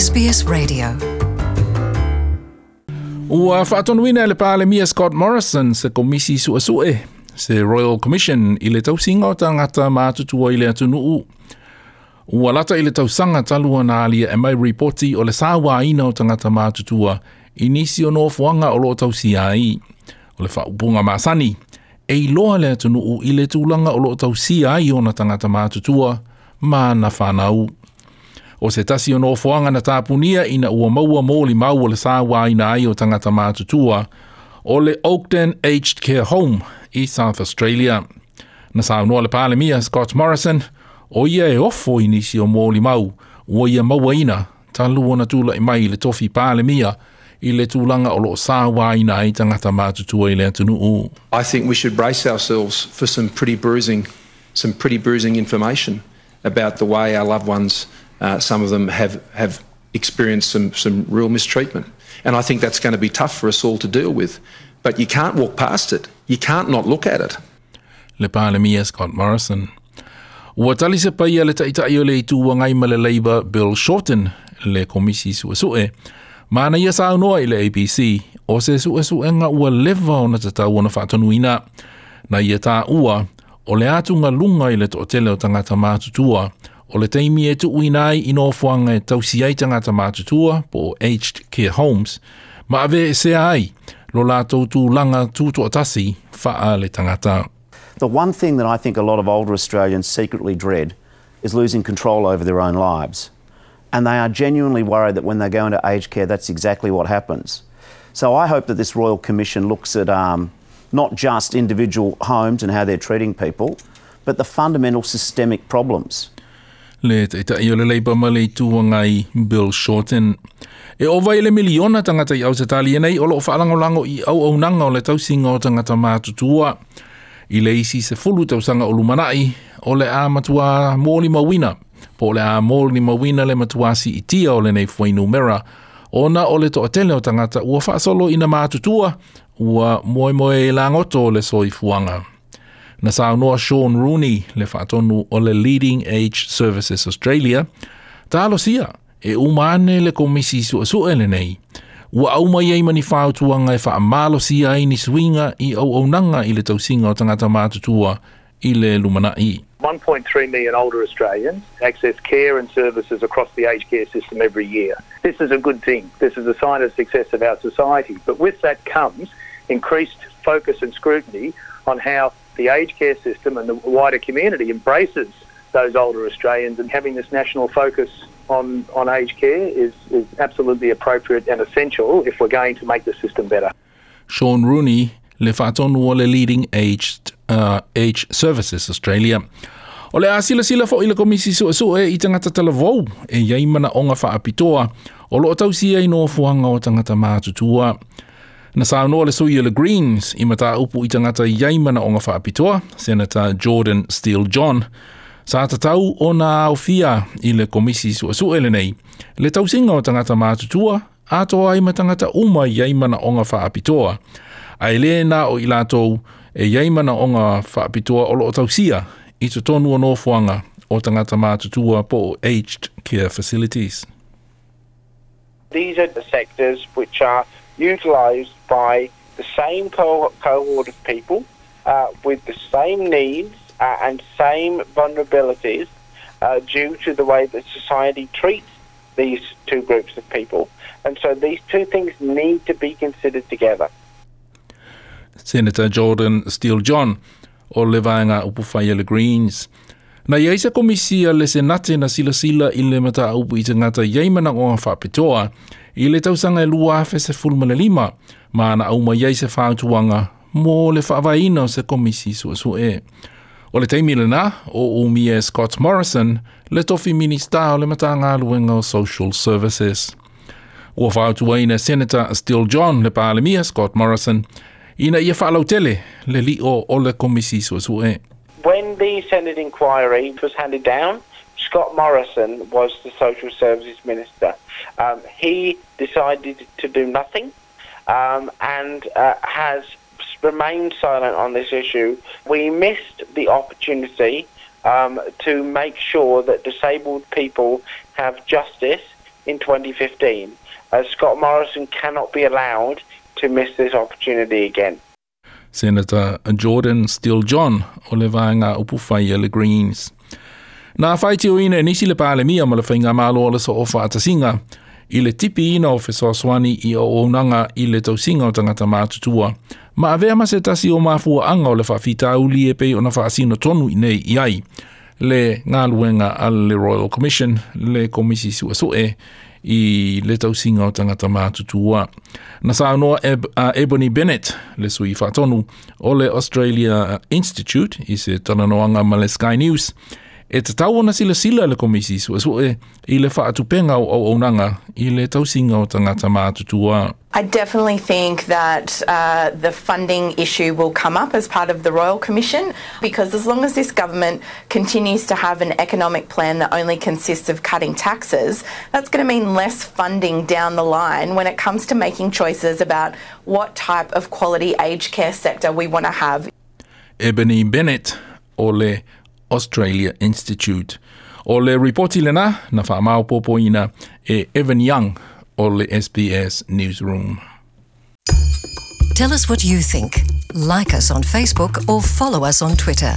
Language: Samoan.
SBS Radio. Ua faatonuina e le Palemia Scott Morrison se Komisi Suesue, se Royal Commission i le tausiga o tagata matutua i le atunuu. Ua lata i le tausaga talu ona aliae mai ripoti o le sauaina o tagata matutua i nisi o nofoaga o lo o tausia ai. O le faaupuga masani, e iloa le atunuu i le tulaga o lo o tausia ai ona tagata matutua ma ana fanau. O se tasi o nofoaga na tapunia ina ua maua molimau o le sauaina ai o tagata matutua, o le Oakden Aged Care Home i South Australia. Na saunoa le Palemia Scott Morrison, o ia e ofo i nisi o molimau ua ia mauaina talu ona tulai mai i le tofi Palemia i le tulaga o lo o sauaina ai tagata matutua i le atunuu. I think we should brace ourselves for some pretty bruising information about the way our loved ones, some of them have experienced some real mistreatment. And I think that's going to be tough for us all to deal with. But you can't walk past it. You can't not look at it. Le Palemia Scott Morrison. Ua tali se paia le Taitai o le Itu Agai ma le Labour Bill Shorten le Komisi Suesue. Ma na ia saunoa i le ABC o se suesuega ua leva ona tatau ona faatonuina. Na ia taua o le atugaluga i le toatele o tagata matutua o le taimi e tuuina ai i nofoaga e tausi ai tagata matutua po o aged care homes ma aveesea ai lo latou tulaga tutoatasi faaletagata. The one thing that I think a lot of older Australians secretly dread is losing control over their own lives. And they are genuinely worried that when they go into aged care, that's exactly what happens. So I hope that this Royal Commission looks at not just individual homes and how they're treating people, but the fundamental systemic problems. Le Taitai o le Labour ma le Itu Agai Bill Shorten. E ova i le miliona tagata i Ausetalia nei o lo o faalagolago i auaunaga o le tausiga o tagata matutua. I le isi 10 tausaga o lumanai, o le a matua molimauina, po o le a molimauina le matua siitia o lenei fuainumera, ona o le toatele o tagata ua faasolo ina matutua, ua moemoe lagoto o le soifuaga. Na saunoa Sean Rooney, le faatonu o le Leading Age Services Australia, talosia e uma ane le Komisi Suesue lenei. Ua aumai ai ma ni fautuaga e faamalosia ai ni suiga i auaunaga i le tausiga o tagata matutua i le lumanai. 1.3 million older Australians access care and services across the aged care system every year. This is a good thing. This is a sign of success of our society. But with that comes increased focus and scrutiny on how the aged care system and the wider community embraces those older Australians, and having this national focus on aged care is absolutely appropriate and essential if we're going to make the system better. Sean Rooney, le faatonu o le Leading Age Services Australia. O le a silasila fo'i le Komisi Suesue i tagata talavou e i ai manaoga faapitoa o lo o tausia i nofoaga o tagata matutua. Na saunoa le sui o le Greens i mataupu i tagata i ai manaoga faapitoa, Senator Jordan Steele John, sa tatau ona aofia i le Komisi Suesue lenei le tausiga o tagata matutua atoa ai ma tagata uma i ai manaoga faapitoa. Ae le na o i latou e i ai manaoga faapitoa o lo o tausia i totonu o nofoaga o tagata matutua po o aged care facilities. These are the sectors which are utilised by the same cohort of people with the same needs and same vulnerabilities due to the way that society treats these two groups of people. And so these two things need to be considered together. Senator Jordan Steele John o le Vaega Upufai a le Greens. Na i ai se komisi a le Senate na silasila i le mataupu i tagata i ai manaoga faapitoa i le tausaga e 2015 ma na aumai ai se fautuaga mo le faavaeina o se Komisi Suesue. O le taimi lena, o umia Scott Morrison, le tofi Minista o le Matagaluega o Social Services. Ua fautuaina Senator Steele John le Palemia Scott Morrison ina ia faalautele le lio o le Komisi Suesue. When the Senate inquiry was handed down, Scott Morrison was the Social Services Minister. He decided to do nothing and has remained silent on this issue. We missed the opportunity to make sure that disabled people have justice. in 2015. Scott Morrison cannot be allowed to miss this opportunity again. Senator Jordan Steele John o le vaega upufai a le Greens. Na faitioina e nisi le Palemia ma le Faigamalo o le Soofaatasiga i le tipiina o fesoasoani i auaunaga i le tausiga o tagata matutua, ma avea ma se tasi o mafuaaga o le faafitauli e pei ona faasino tonu i nei i ai le galuega a le Royal Commission, le Komisi Suesue i le tausiga o tagata matutua. Na saunoa Ebony Bennett, le sui faatonu o le Australia Institute i se talanoaga ma le Sky News, e tatau ona silasila le Komisi Suesue i le faatupenga o auaunaga i le tausiga o tagata matutua. I definitely think that the funding issue will come up as part of the Royal Commission, because as long as this government continues to have an economic plan that only consists of cutting taxes, that's going to mean less funding down the line when it comes to making choices about what type of quality aged care sector we want to have. Ebony Bennett o le Australia Institute. O le ripoti lena na faamaopoopoina e Evan Young o le SBS Newsroom. Tell us what you think. Like us on Facebook or follow us on Twitter.